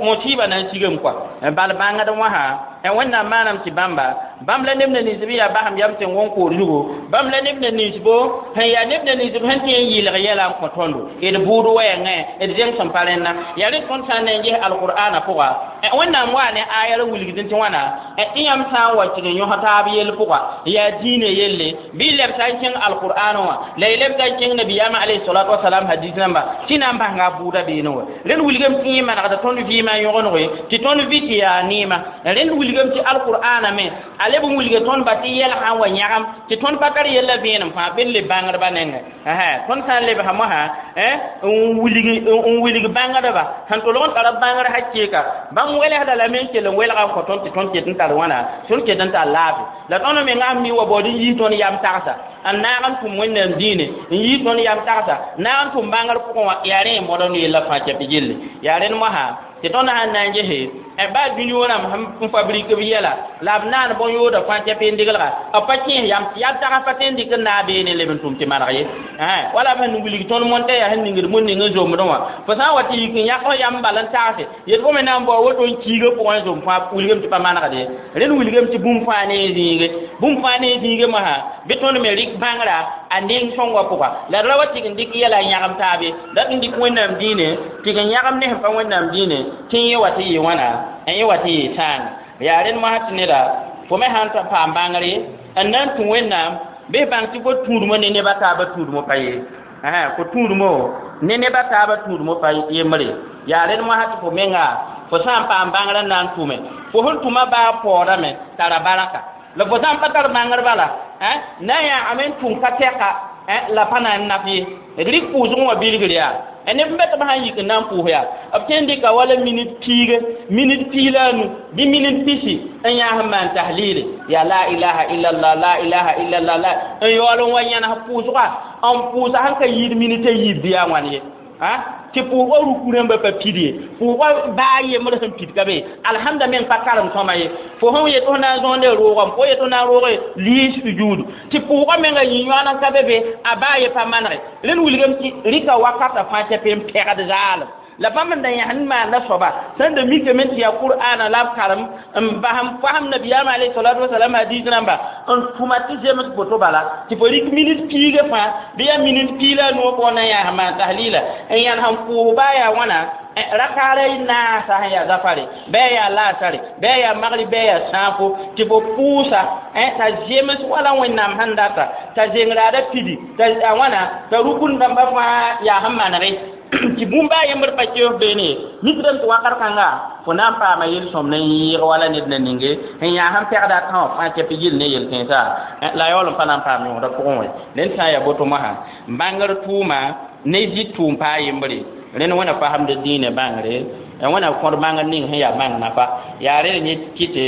musiba na n sigame kɔa bal bãngd wãsã Wẽnnaam maaname tɩ bãmba bãmb la neb na ninsb n yaa basem yam tɩ n wõn koor zugu bãmb la neb na ninsbo sẽn yaa neb na ninsb sẽn tɩ n yɩlg yɛla n kõ tõndo d bʋʋd wɛɛngẽ d zẽng sẽn pa rẽnna yaa rẽ tõnd sã n na n ges alqur'ana pʋga Wẽnnaam waa ne aya la wilgd tɩ wãna tɩ yãmb sã n wa tɩg n yõs taab yell pʋga yaa diinã yelle bɩ y lebsa n kẽng alqur'an wã la y lebsa n kẽng nabiyaamã alayhi salatu wasalam hadis rãmba tɩ na n basga a bʋʋda beene wã rẽnd wilgame tɩ yẽ manegda tõnd vɩɩmã yõgengo tɩ tõnd vɩ tɩ yaa neema rẽnd wilgame tɩ alqur'ana me a leb n wilga tõnd ba tɩ yɛlsã n wa yãgem tɩ tõnd pa tar yella vẽenem fãa bɩ d leb bãngdbã nengẽ tõnd sã n lebsã mosã n wilg bãngdba sẽn tolg n tara bãngr hakɩɩka bãmb welsda lame n kell n welga n kõ tõnd tɩ tõnd ket n tar wãna tõnd ket n tar laafɩ la tõnd mengã mi wa baood n yiis tõnd yam tagsa n naag n tʋm wẽnnaam diine n yiis tõnd yam tagsa naag n tʋm bãngr pʋgẽ wã yaa rẽ n mõd n yella fãa kɛp gilli yaa rẽnd mosã tɩ tõnd sãn na n gese baa dũni rãmb sẽn fabrik b yɛla la b naan bõn-yooda fãa kɛp n degelga b pa kẽes yam yam tags pa tõe n dɩk n naag beene leb n tʋm tɩ maneg ye wala b sẽn wilg tõnd montã yaa sẽn ningd bũn ning n zomdẽ wã fo sã n wa tɩ yik n yãk f yam bal n tagse yet fo me na n bao woto n kiigã pʋgẽ n zom fãa wilgame tɩ pa manegd ye rẽnd wilgame tɩ bũmb fãa ne n zĩige bũmb fãa ne n zĩige mosã bɩ tõnd me rɩk bãngrã a neng sõngã pʋga la d ra wa tɩg n dɩk yɛla n yãgem taabe dat n dɩk wẽnnaam diine tɩg n yãgem ne sẽn pa wẽnnaam diine tɩ yẽ wa tɩ yɩ wãna n yẽ wa tɩ yɩ sãanga yaa rẽnd mosã tɩ neda fo me sãn paam bãngre n na n tũ wẽnnaam bɩ bãng tɩ fo tũudmõ ne nebã taabã tũudmõ pa ye fo tũudmõ ne nebã taabã tũudmõ pa yembre yaa rẽnd mosã tɩ fo menga fo sã n paam bãngrã n na n tʋme fo sẽn tʋma baa paoodame tara baraka la fo sã n pa tar bãngr bala na n yãagame n tʋm ka tɛka la pa na n naf ye d rɩk pʋʋsgẽ wã bilgr yaa neb n be tɩ b sãn yik n na n pʋʋs yaa b tõe n dɩka wala minit piige minit piig la a nu bɩ minit pisi n yãas n maan tahlile yaa la ilaha illallah la ilaha illallah la n yaool n wa yãnes pʋʋsga n pʋʋsa sẽn ka yiid minit a yiib bɩ yaa wãn ye tɩ pʋʋsgã ruku rãmbã pa pid ye pʋʋsgã baa yembr sẽn pid ka be alhamda meng pa karem sõma ye fo sẽn yet fo na n zõonde roogame fo yet fo na n rooge liis sujuudu tɩ pʋʋsgã menga yĩ-yõan n ka be be a baa ye pa manege rẽnd wilgame tɩ rɩka wakata fãa tɩ p n pɛgd zaalem la bãmb n da yãs n maanda soaba sẽn da mikame tɩ yaa qur'ana la b karem n bas n fasem nabiyaamã alayhi salatu wasalam hadis rãmba n tʋma tɩ zems boto bala tɩ fo rɩk minit piigã fãa bɩ yaa minit piig la a nuwã pʋgẽ na n yãas n maan tahlila n yãns n pʋʋs baa yaa wãna rakaara y naasa sẽn yaa zafare bɩ a yaa laasare bɩ a yaa magri bɩ a yaa sãafo tɩ fo pʋʋsa t'a zems wala wẽnnaam sẽn data t'a zengraada pidi t'a wãna t'a rukun dãmbã fãa yaa sẽn manege tɩ bũmb a yembr pa keoos beene ye mikdame tɩ wakat kãnga fo na n paama yel-sõm na yẽeg wala ned na ninge n yaa sẽn pɛgda a tã wã fãa kɛp gill ne yel-kẽensã la yaool n pa na n paam yõoda pʋgẽ wã rẽnd sã n yaa boto mosã bãngr tʋʋma ne zɩ tʋʋm paa yembre rẽnd wẽna fasemd dĩinã bãngre wẽna kõd bãngr ning sẽn yaa bãng nafa yaa rẽd yẽ kɩte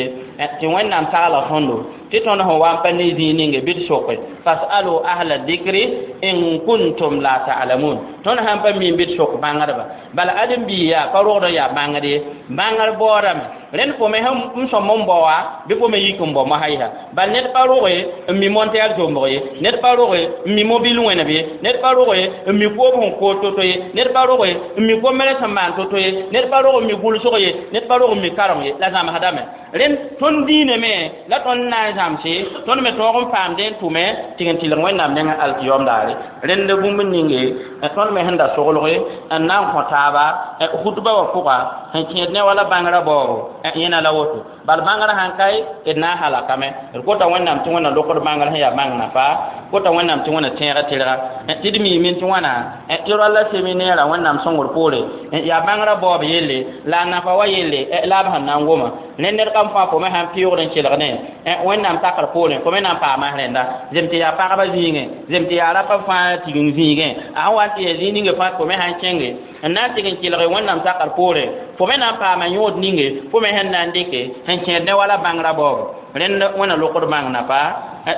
tɩ wẽnnaam tagla tõndo tɩ tõnd sẽn wa n pa ne zĩig ninge bɩ d soke fasalu ahla dikri in kuntum la ta'lamun tõnd sãn pa mi bɩ d sok bãngdba bala ãdem-biig yaa pa rogd n yaa bãngd ye bãngr baoodame rẽnd fo me sẽn sõm n bao wã bɩ fo me yik n bao mosã yɩsa bal ned pa roge n mi montɛɛr zombg ye ned pa roge n mi mobil wẽneb ye ned pa roge n mi koob sẽn kood to-to ye ned pa roge n mi gombrẽ sẽn maan to-to ye ned pa rog n mi gʋlsg ye ned pa rog n mi karem ye la zãmsdame rẽnd tõnd diinã me la tõnd na n zãmse tõnd me tõog n paamdẽ n tʋme tɩ n tɩlg wẽnnaam nengẽ alkiyom daare rẽnd bũmb ninge tõnd me sẽn da soglge n na n kõ taaba hutba wã pʋga sẽn kẽed ne wala bãngrã baoobo yẽna la woto bal bãngrã sãn kae d na n halakame d kota wẽnnaam tɩ wẽnna lokd bãngr sẽn yaa bãng nafa kota wẽnnaam tɩ wẽnna tẽega tɩrga tɩ d miime tɩ wãna tɩ ralla seminɛɛrã wẽnnaam sõngr poore yaa bãngrã baoob yelle la a nafa wa yelle la b sẽn na n goma ne ned kam fãa fo me sãn pɩʋgd n kelg ne wẽnnaam takr poorẽ fo me na n paama rẽnda zem tɩ yaa pagba zĩigẽ zem tɩ yaa rapa fãa tigim zĩigẽ a sẽn wa n tɩ yaa zĩig ninge fãa fo me sãn kẽnge n na n tɩg n kelge wẽnnaam takr poorẽ fo me na n paama yõod ninge fo me sẽn na n dɩke sẽn kẽed ne wala bãngrã baoobo rẽnd wẽnna lokd bãng nafa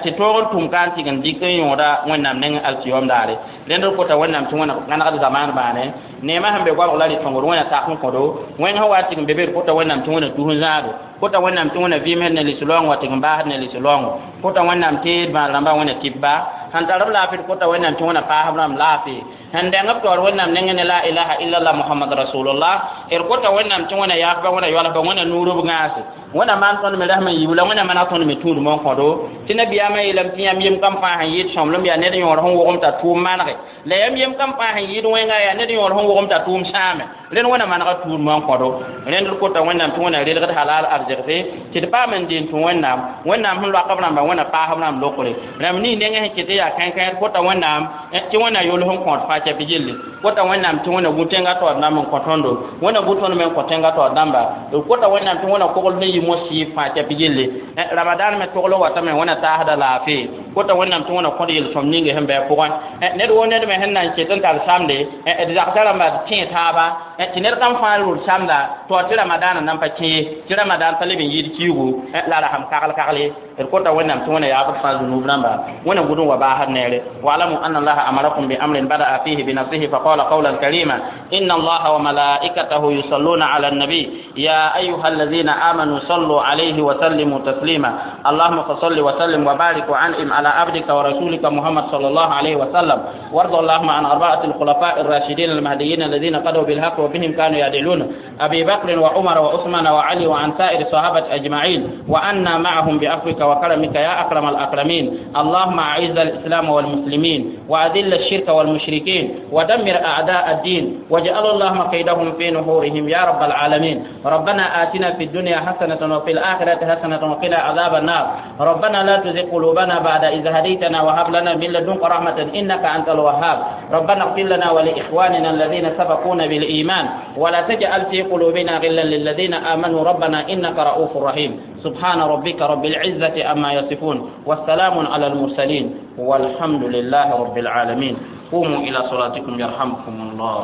tɩ tõog n tʋm ka n tɩg n dɩk n yõoda wẽnnaam neng alkiyom daare rẽnd d kota wẽnnaam tɩ wẽna gãnegd zamaan bãane neemã sẽn be goabg la rɩ-sõngd wẽna tak n kõdo wẽng sẽn wa tɩg n be be d kota wẽnnaam tɩ wẽna tus n zãado kota wẽnnaam tɩ wẽna vɩɩm sẽn ne lis-loong wa tɩg n baasd ne lis-loongo kota wẽnnaam tɩ d bãad rãmbã wẽna tɩp ba sẽn tar b laafɩ d kota wẽnnaam tɩ wẽna paasb rãmb laafɩ Sẽn dẽng b taoor Wẽnnaam nengẽ ne la ilaha illallah Muhammad rasulullah. D kota Wẽnnaam tɩ Wẽna yaafba, Wẽna yoalsba, Wẽna nuur b gãase, Wẽna maan tõnd me rasm n yiib la Wẽna maneg tõnd me tũudmã n kõdo. Tɩ nabiyaamã yeelame tɩ yãmb yem kam fãa sẽn yɩɩd sõmblem yaa ned yõor sẽn wogem t'a tʋʋm manege, la yãmb yem kam fãa sẽn yɩɩd wẽnga yaa ned yõor sẽn wogem t'a tʋʋm sãame. Rẽnd Wẽna manega tũudmã n kõdo. Rẽnd d kota Wẽnnaam tɩ Wẽna relgd halal arzegse tɩ d paam n deen tũ Wẽnnaam. Wẽnnaam sẽn loak b rãmba, Wẽna paas b rãmb lokre. Rãmb ning nengẽ sẽn ket yaa kãen-kãer, kota Wẽnnaam tɩ Wẽna yols n kõot fãa kɛp gilli. Kota Wẽnnaam tɩ Wẽna gu tẽngã taoor dãmb n kõ tõndo, Wẽna gu tõnd me n kõ tẽngã taoor dãmba. D kota Wẽnnaam tɩ Wẽna kogl sẽn yi mos-sɩɩb fãa kɛp gilli. Ramadan me togl watame, Wẽna taasda laafee. Kota Wẽnnaam tɩ Wẽna kõd yel-sõm ninge sẽn bɩ a pʋgẽ. Ned woo ned me sẽn na n ket n tar samde, d zagsã rãmba d tẽ taaba tɩ ned kam fãa rʋd samda tɩ wa tɩ ramadaanã nan pa kẽ ye, tɩ ramadan pa leb n yɩɩd kiigu la rasem kagl kagle. D kota Wẽnnaam tɩ Wẽna yaabd fãa zunub rãmba, Wẽna gʋd n wa baasd neere. Wa'lamu anna Allaha amarakum bi amrin bada'a fihi bi nafsihi faqala qawlan karima: inna Allaha wa malaikatahu yusalluna ala an-nabi ya ayyuha alladhina amanu sallu alayhi wa sallimu taslima. Allahumma fasalli wa sallim wa barik wa an'im ala abdika wa rasulika Muhammad sallallahu alayhi wa sallam, warda Allahumma an arba'ati al-khulafa'i ar-rashidin al-mahdiyyin alladhina qadaw bil haqq wa bihim kanu ya'dilun, Abi Bakr wa Umar wa Uthman wa Ali wa an sa'ir sahabati ajma'in, wa anna ma'ahum bi afwika وكرمك يا أكرم الأكرمين. اللهم أعز الإسلام والمسلمين، وأذل الشرك والمشركين، ودمر أعداء الدين، واجعل اللهم كيدهم في نحورهم يا رب العالمين. ربنا آتنا في الدنيا حسنة وفي الآخرة حسنة وقنا عذاب النار. ربنا لا تزغ قلوبنا بعد إذ هديتنا وهب لنا من لدنك رحمة إنك أنت الوهاب. ربنا اغفر لنا ولإخواننا الذين سبقونا بالإيمان، ولا تجعل في قلوبنا غلا للذين آمنوا، ربنا إنك رؤوف رحيم. سبحان ربك رب العزة عما يصفون، والسلام على المرسلين، والحمد لله رب العالمين. قوموا إلى صلاتكم يرحمكم الله.